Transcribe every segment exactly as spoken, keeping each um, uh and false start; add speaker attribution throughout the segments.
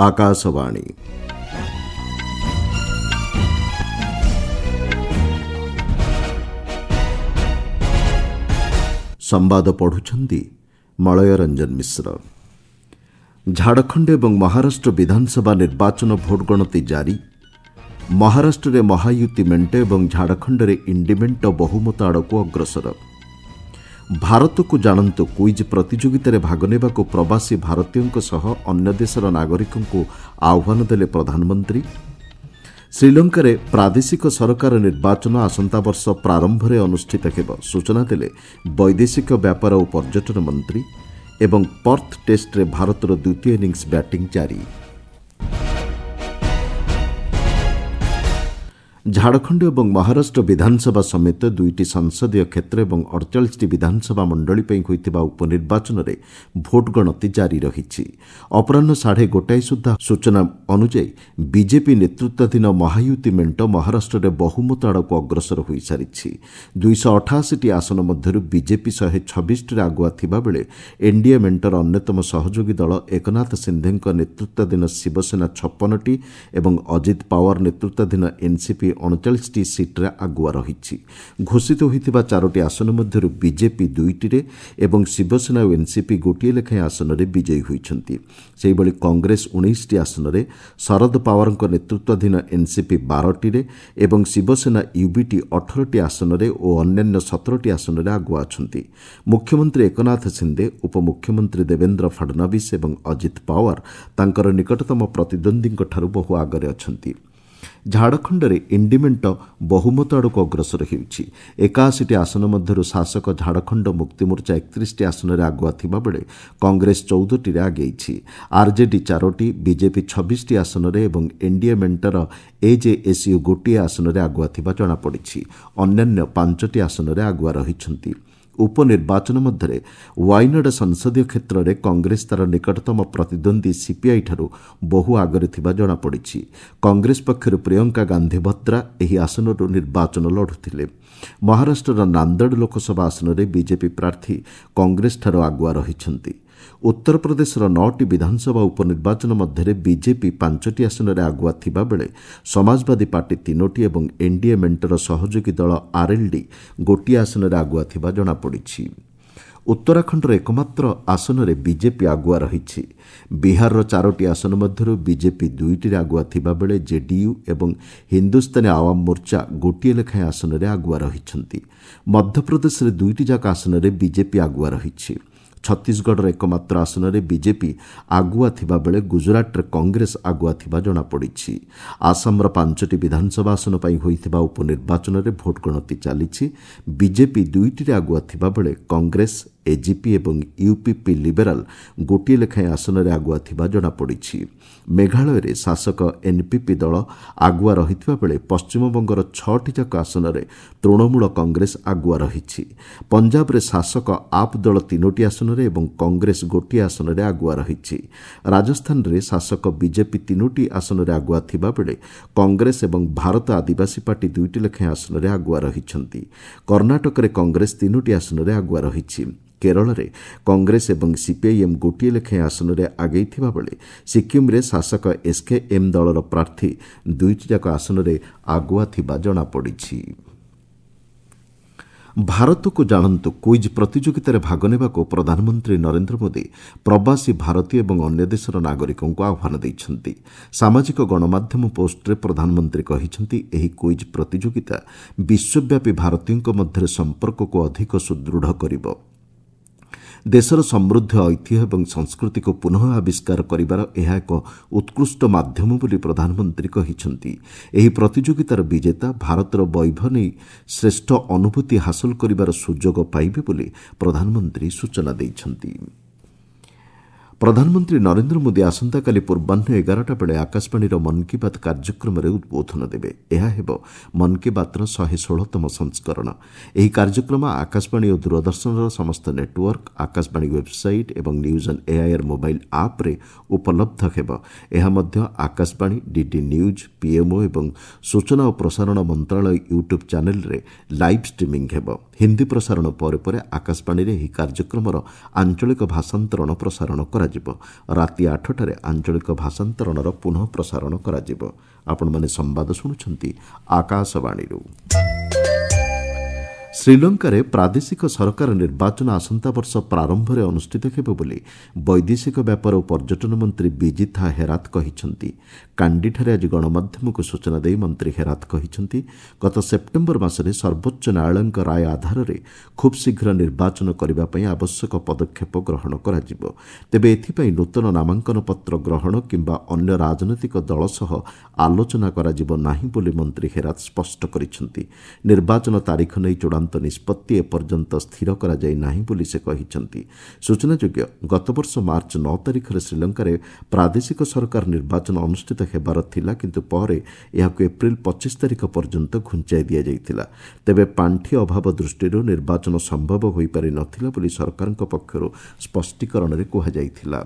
Speaker 1: ଆକାଶବାଣୀ ସମ୍ବାଦ ପଢୁଛନ୍ତି ମଳୟ ରଞ୍ଜନ ମିଶ୍ର। ଝାଡ଼ଖଣ୍ଡ ଏବଂ ମହାରାଷ୍ଟ୍ର ବିଧାନସଭା ନିର୍ବାଚନ ଭୋଟ ଗଣତି ଜାରି। ମହାରାଷ୍ଟ୍ରରେ ମହାୟୁତି ମେଣ୍ଟ ଏବଂ ଝାଡ଼ଖଣ୍ଡରେ ଇଣ୍ଡି ମେଣ୍ଟ ବହୁମତ ଆଡ଼କୁ ଅଗ୍ରସର। ଭାରତକୁ ଜାଣନ୍ତୁ କୁଇଜ୍ ପ୍ରତିଯୋଗିତାରେ ଭାଗ ନେବାକୁ ପ୍ରବାସୀ ଭାରତୀୟଙ୍କ ସହ ଅନ୍ୟ ଦେଶର ନାଗରିକଙ୍କୁ ଆହ୍ୱାନ ଦେଲେ ପ୍ରଧାନମନ୍ତ୍ରୀ। ଶ୍ରୀଲଙ୍କାରେ ପ୍ରାଦେଶିକ ସରକାର ନିର୍ବାଚନ ଆସନ୍ତା ବର୍ଷ ପ୍ରାରମ୍ଭରେ ଅନୁଷ୍ଠିତ ହେବ, ସୂଚନା ଦେଲେ ବୈଦେଶିକ ବ୍ୟାପାର ଓ ପର୍ଯ୍ୟଟନ ମନ୍ତ୍ରୀ। ଏବଂ ପର୍ଥ ଟେଷ୍ଟରେ ଭାରତର ଦ୍ୱିତୀୟ ଇନିଂସ ବ୍ୟାଟିଂ ଜାରି। ଝାଡ଼ଖଣ୍ଡ ଏବଂ ମହାରାଷ୍ଟ୍ର ବିଧାନସଭା ସମେତ ଦୁଇଟି ସଂସଦୀୟ କ୍ଷେତ୍ର ଏବଂ ଅଡ଼ଚାଳିଶଟି ବିଧାନସଭା ମଣ୍ଡଳୀ ପାଇଁ ହୋଇଥିବା ଉପନିର୍ବାଚନରେ ଭୋଟ ଗଣତି ଜାରି ରହିଛି। ଅପରାହ୍ନ ସାଢ଼େ ଗୋଟାଏ ସୁଦ୍ଧା ସୂଚନା ଅନୁଯାୟୀ ବିଜେପି ନେତୃତ୍ୱାଧୀନ ମହାୟୁତି ମେଣ୍ଟ ମହାରାଷ୍ଟ୍ରରେ ବହୁମତ ଆଡ଼କୁ ଅଗ୍ରସର ହୋଇସାରିଛି। ଦୁଇଶହ ଅଠାଅଶୀଟି ଆସନ ମଧ୍ୟରୁ ବିଜେପି ଶହେ ଛବିଶଟିରେ ଆଗୁଆ ଥିବାବେଳେ ଏନ୍ଡିଏ ମେଣ୍ଟର ଅନ୍ୟତମ ସହଯୋଗୀ ଦଳ ଏକନାଥ ସିନ୍ଧେଙ୍କ ନେତୃତ୍ୱାଧୀନ ଶିବସେନା ଛପନଟି ଏବଂ ଅଜିତ ପାୱାର ନେତୃତ୍ୱାଧୀନ ଏନ୍ସିପି ଅଣଚାଳିଶଟି ସିଟ୍ରେ ଆଗୁଆ ରହିଛି। ଘୋଷିତ ହୋଇଥିବା ଚାରୋଟି ଆସନ ମଧ୍ୟରୁ ବିଜେପି ଦୁଇଟିରେ ଏବଂ ଶିବସେନା ଓ ଏନ୍ସିପି ଗୋଟିଏ ଲେଖାଏଁ ଆସନରେ ବିଜୟୀ ହୋଇଛନ୍ତି। ସେହିଭଳି କଂଗ୍ରେସ ଉଣେଇଶଟି ଆସନରେ, ଶରଦ ପାୱାରଙ୍କ ନେତୃତ୍ୱାଧୀନ ଏନ୍ସିପି ବାରଟିରେ ଏବଂ ଶିବସେନା ୟୁବିଟି ଅଠରଟି ଆସନରେ ଓ ଅନ୍ୟାନ୍ୟ ସତରଟି ଆସନରେ ଆଗୁଆ ଅଛନ୍ତି। ମୁଖ୍ୟମନ୍ତ୍ରୀ ଏକନାଥ ସିନ୍ଦେ, ଉପମୁଖ୍ୟମନ୍ତ୍ରୀ ଦେବେନ୍ଦ୍ର ଫଡନାବିସ୍ ଏବଂ ଅଜିତ ପାୱାର ତାଙ୍କର ନିକଟତମ ପ୍ରତିଦ୍ୱନ୍ଦ୍ୱୀଙ୍କଠାରୁ ବହୁ ଆଗରେ ଅଛନ୍ତି। ଝାଡ଼ଖଣ୍ଡରେ ଇଣ୍ଡି ମେଣ୍ଟ ବହୁମତ ଆଡ଼କୁ ଅଗ୍ରସର ହେଉଛି। ଏକାଅଶୀଟି ଆସନ ମଧ୍ୟରୁ ଶାସକ ଝାଡ଼ଖଣ୍ଡ ମୁକ୍ତିମୋର୍ଚ୍ଚା ଏକତିରିଶଟି ଆସନରେ ଆଗୁଆ ଥିବାବେଳେ କଂଗ୍ରେସ ଚଉଦଟିରେ ଆଗେଇଛି। ଆର୍ଜେଡି ଚାରୋଟି, ବିଜେପି ଛବିଶଟି ଆସନରେ ଏବଂ ଏନ୍ଡିଏ ମେଣ୍ଟର ଏଜେଏସ୍ୟୁ ଗୋଟିଏ ଆସନରେ ଆଗୁଆ ଥିବା ଜଣାପଡ଼ିଛି। ଅନ୍ୟାନ୍ୟ ପାଞ୍ଚଟି ଆସନରେ ଆଗୁଆ ରହିଛନ୍ତି। ଉପନିର୍ବାଚନ ମଧ୍ୟରେ ୱାଇନାଡ ସଂସଦୀୟ କ୍ଷେତ୍ରରେ କଂଗ୍ରେସ ତା'ର ନିକଟତମ ପ୍ରତିଦ୍ୱନ୍ଦ୍ୱୀ ସିପିଆଇଠାରୁ ବହୁ ଆଗରେ ଥିବା ଜଣାପଡ଼ିଛି। କଂଗ୍ରେସ ପକ୍ଷରୁ ପ୍ରିୟଙ୍କା ଗାନ୍ଧୀ ଭଦ୍ରା ଏହି ଆସନରୁ ନିର୍ବାଚନ ଲଢ଼ୁଥିଲେ। ମହାରାଷ୍ଟ୍ରର ନାନ୍ଦେଡ଼ ଲୋକସଭା ଆସନରେ ବିଜେପି ପ୍ରାର୍ଥୀ କଂଗ୍ରେସଠାରୁ ଆଗୁଆ ରହିଛନ୍ତି। ଉତ୍ତରପ୍ରଦେଶର ନଅଟି ବିଧାନସଭା ଉପନିର୍ବାଚନ ମଧ୍ୟରେ ବିଜେପି ପାଞ୍ଚଟି ଆସନରେ ଆଗୁଆ ଥିବାବେଳେ ସମାଜବାଦୀ ପାର୍ଟି ତିନୋଟି ଏବଂ ଏନ୍ଡିଏ ମେଣ୍ଟର ସହଯୋଗୀ ଦଳ ଆର୍ଏଲ୍ଡି ଗୋଟିଏ ଆସନରେ ଆଗୁଆ ଥିବା ଜଣାପଡ଼ିଛି। ଉତ୍ତରାଖଣ୍ଡର ଏକମାତ୍ର ଆସନରେ ବିଜେପି ଆଗୁଆ ରହିଛି। ବିହାରର ଚାରୋଟି ଆସନ ମଧ୍ୟରୁ ବିଜେପି ଦୁଇଟିରେ ଆଗୁଆ ଥିବାବେଳେ ଜେଡିୟୁ ଏବଂ ହିନ୍ଦୁସ୍ତାନୀ ଆୱାମ ମୋର୍ଚ୍ଚା ଗୋଟିଏ ଲେଖାଏଁ ଆସନରେ ଆଗୁଆ ରହିଛନ୍ତି। ମଧ୍ୟପ୍ରଦେଶରେ ଦୁଇଟି ଯାକ ଆସନରେ ବିଜେପି ଆଗୁଆ ରହିଛି। ଛତିଶଗଡ଼ର ଏକମାତ୍ର ଆସନରେ ବିଜେପି ଆଗୁଆ ଥିବାବେଳେ ଗୁଜରାଟରେ କଂଗ୍ରେସ ଆଗୁଆ ଥିବା ଜଣାପଡ଼ିଛି। ଆସାମର ପାଞ୍ଚଟି ବିଧାନସଭା ଆସନ ପାଇଁ ହୋଇଥିବା ଉପନିର୍ବାଚନରେ ଭୋଟ ଗଣତି ଚାଲିଛି। ବିଜେପି ଦୁଇଟିରେ ଆଗୁଆ ଥିବାବେଳେ କଂଗ୍ରେସ, ଏଜିପି ଏବଂ ୟୁପିପି ଲିବେରାଲ ଗୋଟିଏ ଲେଖାଏଁ ଆସନରେ ଆଗୁଆ ଥିବା ଜଣାପଡ଼ିଛି। ମେଘାଳୟରେ ଶାସକ ଏନ୍ପିପି ଦଳ ଆଗୁଆ ରହିଥିବା ବେଳେ ପଶ୍ଚିମବଙ୍ଗର ଛଅଟି ଯାକ ଆସନରେ ତୃଣମୂଳ କଂଗ୍ରେସ ଆଗୁଆ ରହିଛି। ପଞ୍ଜାବରେ ଶାସକ ଆପ୍ ଦଳ ତିନୋଟି ଆସନରେ ଏବଂ କଂଗ୍ରେସ ଗୋଟିଏ ଆସନରେ ଆଗୁଆ ରହିଛି। ରାଜସ୍ଥାନରେ ଶାସକ ବିଜେପି ତିନୋଟି ଆସନରେ ଆଗୁଆ ଥିବାବେଳେ କଂଗ୍ରେସ ଏବଂ ଭାରତ ଆଦିବାସୀ ପାର୍ଟି ଦୁଇଟି ଲେଖାଏଁ ଆସନରେ ଆଗୁଆ ରହିଛନ୍ତି। କର୍ଣ୍ଣାଟକରେ କଂଗ୍ରେସ ତିନୋଟି ଆସନରେ ଆଗୁଆ ରହିଛି। କେରଳରେ କଂଗ୍ରେସ ଏବଂ ସିପିଆଇଏମ୍ ଗୋଟିଏ ଲେଖାଏଁ ଆସନରେ ଆଗେଇ ଥିବାବେଳେ ସିକ୍କିମ୍ରେ ଶାସକ ଏସ୍କେଏମ୍ ଦଳର ପ୍ରାର୍ଥୀ ଦୁଇଟି ଯାକ ଆସନରେ ଆଗୁଆ ଥିବା ଜଣାପଡ଼ିଛି। ଭାରତକୁ ଜାଣନ୍ତୁ କୁଇଜ୍ ପ୍ରତିଯୋଗିତାରେ ଭାଗ ନେବାକୁ ପ୍ରଧାନମନ୍ତ୍ରୀ ନରେନ୍ଦ୍ର ମୋଦି ପ୍ରବାସୀ ଭାରତୀୟ ଏବଂ ଅନ୍ୟ ଦେଶର ନାଗରିକଙ୍କୁ ଆହ୍ୱାନ ଦେଇଛନ୍ତି। ସାମାଜିକ ଗଣମାଧ୍ୟମ ପୋଷ୍ଟରେ ପ୍ରଧାନମନ୍ତ୍ରୀ କହିଛନ୍ତି, ଏହି କୁଇଜ୍ ପ୍ରତିଯୋଗିତା ବିଶ୍ୱବ୍ୟାପୀ ଭାରତୀୟଙ୍କ ମଧ୍ୟରେ ସମ୍ପର୍କକୁ ଅଧିକ ସୁଦୃଢ଼ କରିବ। ଦେଶର ସମୃଦ୍ଧ ଐତିହ୍ୟ ଏବଂ ସଂସ୍କୃତିକୁ ପୁନଃ ଆବିଷ୍କାର କରିବାର ଏହା ଏକ ଉତ୍କୃଷ୍ଟ ମାଧ୍ୟମ ବୋଲି ପ୍ରଧାନମନ୍ତ୍ରୀ କହିଛନ୍ତି। ଏହି ପ୍ରତିଯୋଗିତାର ବିଜେତା ଭାରତର ବୈଭବ ନେଇ ଶ୍ରେଷ୍ଠ ଅନୁଭୂତି ହାସଲ କରିବାର ସୁଯୋଗ ପାଇବେ ବୋଲି ପ୍ରଧାନମନ୍ତ୍ରୀ ସୂଚନା ଦେଇଛନ୍ତି। ପ୍ରଧାନମନ୍ତ୍ରୀ ନରେନ୍ଦ୍ର ମୋଦି ଆସନ୍ତାକାଲି ପୂର୍ବାହ୍ନ ଏଗାରଟା ବେଳେ ଆକାଶବାଣୀର ମନ୍ କି ବାତ୍ କାର୍ଯ୍ୟକ୍ରମରେ ଉଦ୍ବୋଧନ ଦେବେ। ଏହା ହେବ ମନ୍ କି ବାତ୍ର ଶହେ ଷୋହଳତମ ସଂସ୍କରଣ। ଏହି କାର୍ଯ୍ୟକ୍ରମ ଆକାଶବାଣୀ ଓ ଦୂରଦର୍ଶନର ସମସ୍ତ ନେଟୱାର୍କ, ଆକାଶବାଣୀ ୱେବ୍ସାଇଟ୍ ଏବଂ ନ୍ୟୁଜ୍ ଅନ୍ ଏଆଇଆର୍ ମୋବାଇଲ୍ ଆପ୍ରେ ଉପଲବ୍ଧ ହେବ। ଏହା ମଧ୍ୟ ଆକାଶବାଣୀ, ଡିଡି ନ୍ୟୁଜ୍, ପିଏମ୍ଓ ଏବଂ ସୂଚନା ଓ ପ୍ରସାରଣ ମନ୍ତ୍ରଣାଳୟ ୟୁଟ୍ୟୁବ୍ ଚ୍ୟାନେଲ୍ରେ ଲାଇଭ୍ ଷ୍ଟ୍ରିମିଂ ହେବ। ହିନ୍ଦୀ ପ୍ରସାରଣ ପରେ ପରେ ଆକାଶବାଣୀରେ ଏହି କାର୍ଯ୍ୟକ୍ରମର ଆଞ୍ଚଳିକ ଭାଷାନ୍ତରଣ ପ୍ରସାରଣ କରାଯିବ। ରାତି ଆଠଟାରେ ଆଞ୍ଚଳିକ ଭାଷାନ୍ତରଣର ପୁନଃ ପ୍ରସାରଣ କରାଯିବ। ଆପଣମାନେ ସମ୍ବାଦ ଶୁଣୁଛନ୍ତି ଆକାଶବାଣୀରୁ। ଶ୍ରୀଲଙ୍କାରେ ପ୍ରାଦେଶିକ ସରକାର ନିର୍ବାଚନ ଆସନ୍ତା ବର୍ଷ ପ୍ରାରମ୍ଭରେ ଅନୁଷ୍ଠିତ ହେବ ବୋଲି ବୈଦେଶିକ ବ୍ୟାପାର ଓ ପର୍ଯ୍ୟଟନ ମନ୍ତ୍ରୀ ବିଜିଥା ହେରାତ କହିଛନ୍ତି। କାଣ୍ଡିଠାରେ ଆଜି ଗଣମାଧ୍ୟମକୁ ସୂଚନା ଦେଇ ମନ୍ତ୍ରୀ ହେରାତ କହିଛନ୍ତି, ଗତ ସେପ୍ଟେମ୍ବର ମାସରେ ସର୍ବୋଚ୍ଚ ନ୍ୟାୟାଳୟଙ୍କ ରାୟ ଆଧାରରେ ଖୁବ୍ ଶୀଘ୍ର ନିର୍ବାଚନ କରିବା ପାଇଁ ଆବଶ୍ୟକ ପଦକ୍ଷେପ ଗ୍ରହଣ କରାଯିବ। ତେବେ ଏଥିପାଇଁ ନୂତନ ନାମାଙ୍କନ ପତ୍ର ଗ୍ରହଣ କିମ୍ବା ଅନ୍ୟ ରାଜନୈତିକ ଦଳ ସହ ଆଲୋଚନା କରାଯିବ ନାହିଁ ବୋଲି ମନ୍ତ୍ରୀ ହେରାତ ସ୍ପଷ୍ଟ କରିଛନ୍ତି। ନିର୍ବାଚନ ତାରିଖ ନେଇ ଚୂଡ଼ାନ୍ତ ନିଷ୍ପତ୍ତି ଏପର୍ଯ୍ୟନ୍ତ ସ୍ଥିର କରାଯାଇ ନାହିଁ ବୋଲି ସେ କହିଛନ୍ତି। ସୂଚନାଯୋଗ୍ୟ, ଗତବର୍ଷ ମାର୍ଚ୍ଚ ନଅ ତାରିଖରେ ଶ୍ରୀଲଙ୍କାରେ ପ୍ରାଦେଶିକ ସରକାର ନିର୍ବାଚନ ଅନୁଷ୍ଠିତ ହେବାର ଥିଲା, କିନ୍ତୁ ପରେ ଏହାକୁ ଏପ୍ରିଲ ପଚିଶ ତାରିଖ ପର୍ଯ୍ୟନ୍ତ ଘୁଞ୍ଚାଇ ଦିଆଯାଇଥିଲା। ତେବେ ପାଣ୍ଠି ଅଭାବ ଦୃଷ୍ଟିରୁ ନିର୍ବାଚନ ସମ୍ଭବ ହୋଇପାରି ନଥିଲା ବୋଲି ସରକାରଙ୍କ ପକ୍ଷରୁ ସ୍ପଷ୍ଟୀକରଣରେ କୁହାଯାଇଥିଲା।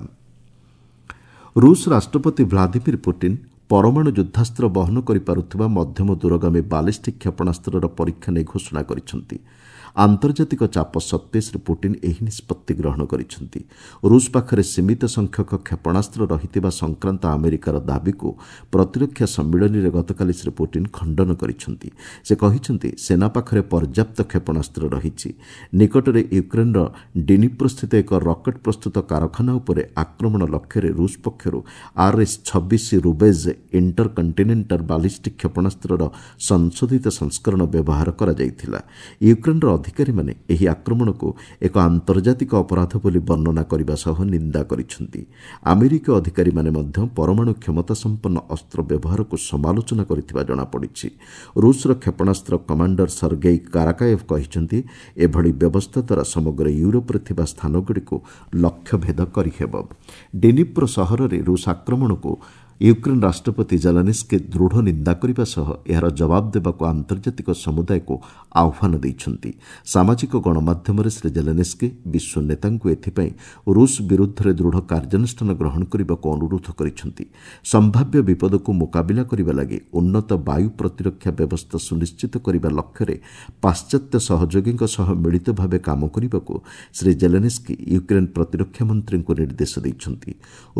Speaker 1: ରୁଷ ରାଷ୍ଟ୍ରପତି ଭ୍ଲାଦିମିର ପୁଟିନ୍ ପରମାଣୁ ଯୁଦ୍ଧାସ୍ତ୍ର ବହନ କରିପାରୁଥିବା ମଧ୍ୟମ ଦୂରଗାମୀ ବାଲିଷ୍ଟିକ୍ କ୍ଷେପଣାସ୍ତ୍ରର ପରୀକ୍ଷା ନେଇ ଘୋଷଣା କରିଛନ୍ତି। ଆନ୍ତର୍ଜାତିକ ଚାପ ସତ୍ତ୍ୱେ ଶ୍ରୀ ପୁଟିନ୍ ଏହି ନିଷ୍ପତ୍ତି ଗ୍ରହଣ କରିଛନ୍ତି। ରୁଷ ପାଖରେ ସୀମିତ ସଂଖ୍ୟକ କ୍ଷେପଣାସ୍ତ୍ର ରହିଥିବା ସଂକ୍ରାନ୍ତ ଆମେରିକାର ଦାବିକୁ ପ୍ରତିରକ୍ଷା ସମ୍ମିଳନୀରେ ଗତକାଲି ଶ୍ରୀ ପୁଟିନ୍ ଖଣ୍ଡନ କରିଛନ୍ତି। ସେ କହିଛନ୍ତି, ସେନା ପାଖରେ ପର୍ଯ୍ୟାପ୍ତ କ୍ଷେପଣାସ୍ତ୍ର ରହିଛି। ନିକଟରେ ୟୁକ୍ରେନ୍ର ଡିନିପ୍ରୋସ୍ଥିତ ଏକ ରକେଟ୍ ପ୍ରସ୍ତୁତ କାରଖାନା ଉପରେ ଆକ୍ରମଣ ଲକ୍ଷ୍ୟରେ ରୁଷ ପକ୍ଷରୁ ଆର୍ଏସ୍ ଛବିଶ ରୁବେଜ୍ ଇଣ୍ଟର କଣ୍ଟିନେଣ୍ଟାଲ ବାଲିଷ୍ଟିକ୍ କ୍ଷେପଣାସ୍ତ୍ରର ସଂଶୋଧିତ ସଂସ୍କରଣ ବ୍ୟବହାର କରାଯାଇଥିଲା। ୟୁକ୍ରେନ୍ର ଅଧିକାରୀମାନେ ଏହି ଆକ୍ରମଣକୁ ଏକ ଆନ୍ତର୍ଜାତିକ ଅପରାଧ ବୋଲି ବର୍ଣ୍ଣନା କରିବା ସହ ନିନ୍ଦା କରିଛନ୍ତି। ଆମେରିକୀୟ ଅଧିକାରୀମାନେ ମଧ୍ୟ ପରମାଣୁ କ୍ଷମତା ସମ୍ପନ୍ନ ଅସ୍ତ୍ର ବ୍ୟବହାରକୁ ସମାଲୋଚନା କରିଥିବା ଜଣାପଡ଼ିଛି। ରୁଷର କ୍ଷେପଣାସ୍ତ୍ର କମାଣ୍ଡର ସର୍ଗେଇ କାରାକାୟେଭ୍ କହିଛନ୍ତି, ଏଭଳି ବ୍ୟବସ୍ଥା ଦ୍ୱାରା ସମଗ୍ର ୟୁରୋପରେ ଥିବା ସ୍ଥାନଗୁଡ଼ିକୁ ଲକ୍ଷ୍ୟଭେଦ କରିହେବ। ଡିନିପ୍ରୋ ସହରରେ ରୁଷ ଆକ୍ରମଣକୁ ୟୁକ୍ରେନ୍ ରାଷ୍ଟ୍ରପତି ଜେଲେନ୍ସ୍କି ଦୃଢ଼ ନିନ୍ଦା କରିବା ସହ ଏହାର ଜବାବ ଦେବାକୁ ଆନ୍ତର୍ଜାତିକ ସମୁଦାୟକୁ ଆହ୍ୱାନ ଦେଇଛନ୍ତି। ସାମାଜିକ ଗଣମାଧ୍ୟମରେ ଶ୍ରୀ ଜେଲେନ୍ସ୍କି ବିଶ୍ୱ ନେତାଙ୍କୁ ଏଥିପାଇଁ ରୁଷ ବିରୁଦ୍ଧରେ ଦୃଢ଼ କାର୍ଯ୍ୟାନୁଷ୍ଠାନ ଗ୍ରହଣ କରିବାକୁ ଅନୁରୋଧ କରିଛନ୍ତି। ସମ୍ଭାବ୍ୟ ବିପଦକୁ ମୁକାବିଲା କରିବା ଲାଗି ଉନ୍ନତ ବାୟୁ ପ୍ରତିରକ୍ଷା ବ୍ୟବସ୍ଥା ସୁନିଶ୍ଚିତ କରିବା ଲକ୍ଷ୍ୟରେ ପାଶ୍ଚାତ୍ୟ ସହଯୋଗୀଙ୍କ ସହ ମିଳିତ ଭାବେ କାମ କରିବାକୁ ଶ୍ରୀ ଜେଲେନ୍ସ୍କି ୟୁକ୍ରେନ୍ ପ୍ରତିରକ୍ଷା ମନ୍ତ୍ରୀଙ୍କୁ ନିର୍ଦ୍ଦେଶ ଦେଇଛନ୍ତି।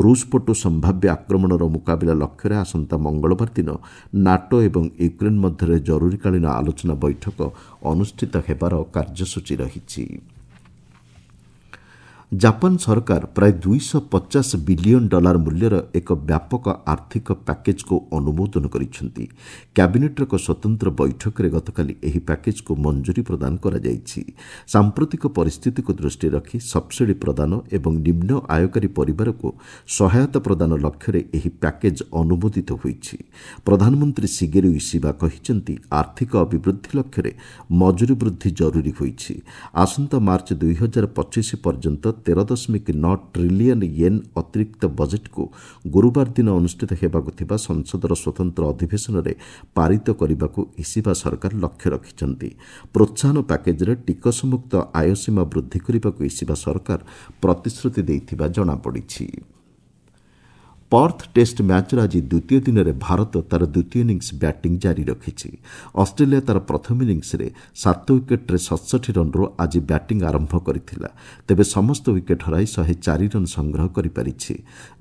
Speaker 1: ରୁଷ ପଟୁ ସମ୍ଭାବ୍ୟ ଆକ୍ରମଣର ମୁକାବିଲା ଲକ୍ଷ୍ୟରେ ଆସନ୍ତା ମଙ୍ଗଳବାର ଦିନ ନାଟୋ ଏବଂ ୟୁକ୍ରେନ୍ ମଧ୍ୟରେ ଜରୁରୀକାଳୀନ ଆଲୋଚନା ବୈଠକ ଅନୁଷ୍ଠିତ ହେବାର କାର୍ଯ୍ୟସୂଚୀ ରହିଛି। ଜାପାନ ସରକାର ପ୍ରାୟ ଦୁଇଶହ ପଚାଶ ବିଲିୟନ ଡଲାର ମୂଲ୍ୟର ଏକ ବ୍ୟାପକ ଆର୍ଥିକ ପ୍ୟାକେଜ୍କୁ ଅନୁମୋଦନ କରିଛନ୍ତି। କ୍ୟାବିନେଟ୍ର ଏକ ସ୍ୱତନ୍ତ୍ର ବୈଠକରେ ଗତକାଲି ଏହି ପ୍ୟାକେଜ୍କୁ ମଞ୍ଜୁରୀ ପ୍ରଦାନ କରାଯାଇଛି। ସାମ୍ପ୍ରତିକ ପରିସ୍ଥିତିକୁ ଦୃଷ୍ଟିରେ ରଖି ସବ୍ସିଡି ପ୍ରଦାନ ଏବଂ ନିମ୍ନ ଆୟକାରୀ ପରିବାରକୁ ସହାୟତା ପ୍ରଦାନ ଲକ୍ଷ୍ୟରେ ଏହି ପ୍ୟାକେଜ୍ ଅନୁମୋଦିତ ହୋଇଛି। ପ୍ରଧାନମନ୍ତ୍ରୀ ଶିଗେରୁ ଇସିବା କହିଛନ୍ତି, ଆର୍ଥିକ ଅଭିବୃଦ୍ଧି ଲକ୍ଷ୍ୟରେ ମଜୁରୀ ବୃଦ୍ଧି ଜରୁରୀ ହୋଇଛି। ଆସନ୍ତା ମାର୍ଚ୍ଚ ଦୁଇ ହଜାର ପଚିଶ ପର୍ଯ୍ୟନ୍ତ ତେର ଦଶମିକ ନଅ ଟ୍ରିଲିୟନ ୟେନ୍ ଅତିରିକ୍ତ ବଜେଟ୍କୁ ଗୁରୁବାର ଦିନ ଅନୁଷ୍ଠିତ ହେବାକୁ ଥିବା ସଂସଦର ସ୍ୱତନ୍ତ୍ର ଅଧିବେଶନରେ ପାରିତ କରିବାକୁ ଇସିବା ସରକାର ଲକ୍ଷ୍ୟ ରଖିଛନ୍ତି। ପ୍ରୋତ୍ସାହନ ପ୍ୟାକେଜ୍ରେ ଟିକସମୁକ୍ତ ଆୟ ସୀମା ବୃଦ୍ଧି କରିବାକୁ ଇସିବା ସରକାର ପ୍ରତିଶ୍ରୁତି ଦେଇଥିବା ଜଣାପଡ଼ିଛି। ପର୍ଥ ଟେଷ୍ଟ ମ୍ୟାଚ୍ର ଆଜି ଦ୍ୱିତୀୟ ଦିନରେ ଭାରତ ତା'ର ଦ୍ୱିତୀୟ ଇନିଂସ ବ୍ୟାଟିଂ ଜାରି ରଖିଛି। ଅଷ୍ଟ୍ରେଲିଆ ତା'ର ପ୍ରଥମ ଇନିଂସରେ ସାତ ୱିକେଟ୍ରେ ସତଷଠି ରନ୍ରୁ ଆଜି ବ୍ୟାଟିଂ ଆରମ୍ଭ କରିଥିଲା। ତେବେ ସମସ୍ତ ୱିକେଟ୍ ହରାଇ ଶହେ ଚାରି ରନ୍ ସଂଗ୍ରହ କରିପାରିଛି।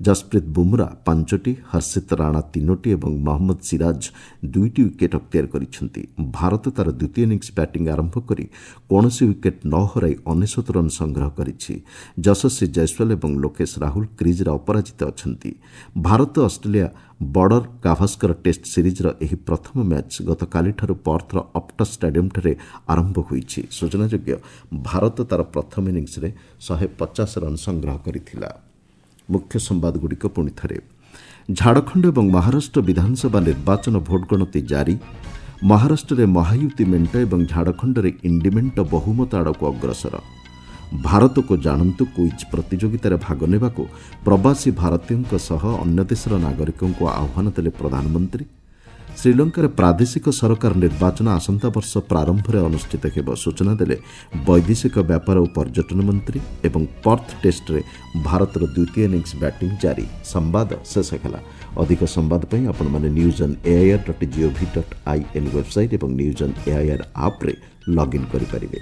Speaker 1: ଜସପ୍ରୀତ ବୁମ୍ରା ପାଞ୍ଚଟି, ହର୍ଷିତ ରାଣା ତିନୋଟି ଏବଂ ମହମ୍ମଦ ସିରାଜ ଦୁଇଟି ୱିକେଟ୍ ଅକ୍ତିଆର କରିଛନ୍ତି। ଭାରତ ତା'ର ଦ୍ୱିତୀୟ ଇନିଂସ ବ୍ୟାଟିଂ ଆରମ୍ଭ କରି କୌଣସି ୱିକେଟ୍ ନ ହରାଇ ଅନେଶତ ରନ୍ ସଂଗ୍ରହ କରିଛି। ଯଶସ୍ୱୀ ଜୟସ୍ୱାଲ ଏବଂ ଲୋକେଶ ରାହୁଲ କ୍ରିଜ୍ରେ ଅପରାଜିତ ଅଛନ୍ତି। Bharat Australia border Gavaskar test ସିରିଜ୍ର ଏହି ପ୍ରଥମ ମ୍ୟାଚ୍ ଗତକାଲିଠାରୁ ପର୍ଥର ଅପ୍ଟସ୍ ଷ୍ଟାଡିୟମ୍ଠାରେ ଆରମ୍ଭ ହୋଇଛି। ସୂଚନାଯୋଗ୍ୟ, ଭାରତ ତା'ର ପ୍ରଥମ ଇନିଂସରେ ଶହେ ପଚାଶ ରନ୍ ସଂଗ୍ରହ କରିଥିଲା। ମୁଖ୍ୟ ସମ୍ବାଦଗୁଡ଼ିକ ପୁଣି ଥରେ। ଝାଡ଼ଖଣ୍ଡ ଏବଂ ମହାରାଷ୍ଟ୍ର ବିଧାନସଭା ନିର୍ବାଚନ ଭୋଟ୍ ଗଣତି ଜାରି। ମହାରାଷ୍ଟ୍ରରେ ମହାୟୁତି ମେଣ୍ଟ ଏବଂ ଝାଡ଼ଖଣ୍ଡରେ ଇଣ୍ଡି ମେଣ୍ଟ ବହୁମତ ଆଡ଼କୁ ଅଗ୍ରସର। ଭାରତକୁ ଜାଣନ୍ତୁ କୁଇଜ୍ ପ୍ରତିଯୋଗିତାରେ ଭାଗ ନେବାକୁ ପ୍ରବାସୀ ଭାରତୀୟଙ୍କ ସହ ଅନ୍ୟ ଦେଶର ନାଗରିକଙ୍କୁ ଆହ୍ୱାନ ଦେଲେ ପ୍ରଧାନମନ୍ତ୍ରୀ। ଶ୍ରୀଲଙ୍କାରେ ପ୍ରାଦେଶିକ ସରକାର ନିର୍ବାଚନ ଆସନ୍ତା ବର୍ଷ ପ୍ରାରମ୍ଭରେ ଅନୁଷ୍ଠିତ ହେବ, ସୂଚନା ଦେଲେ ବୈଦେଶିକ ବ୍ୟାପାର ଓ ପର୍ଯ୍ୟଟନ ମନ୍ତ୍ରୀ। ଏବଂ ପର୍ଥ ଟେଷ୍ଟରେ ଭାରତର ଦ୍ୱିତୀୟ ଇନିଂସ ବ୍ୟାଟିଂ ଜାରି। ସମ୍ବାଦ ଶେଷ ହେଲା। ଅଧିକ ସମ୍ବାଦ ପାଇଁ ଆପଣମାନେ news on AIR dot GOV dot I N website ଏବଂ ନ୍ୟୁଜ୍ ଅନ୍ ଏଆଇଆର୍ ଆପ୍ରେ ଲଗ୍ଇନ୍ କରିପାରିବେ।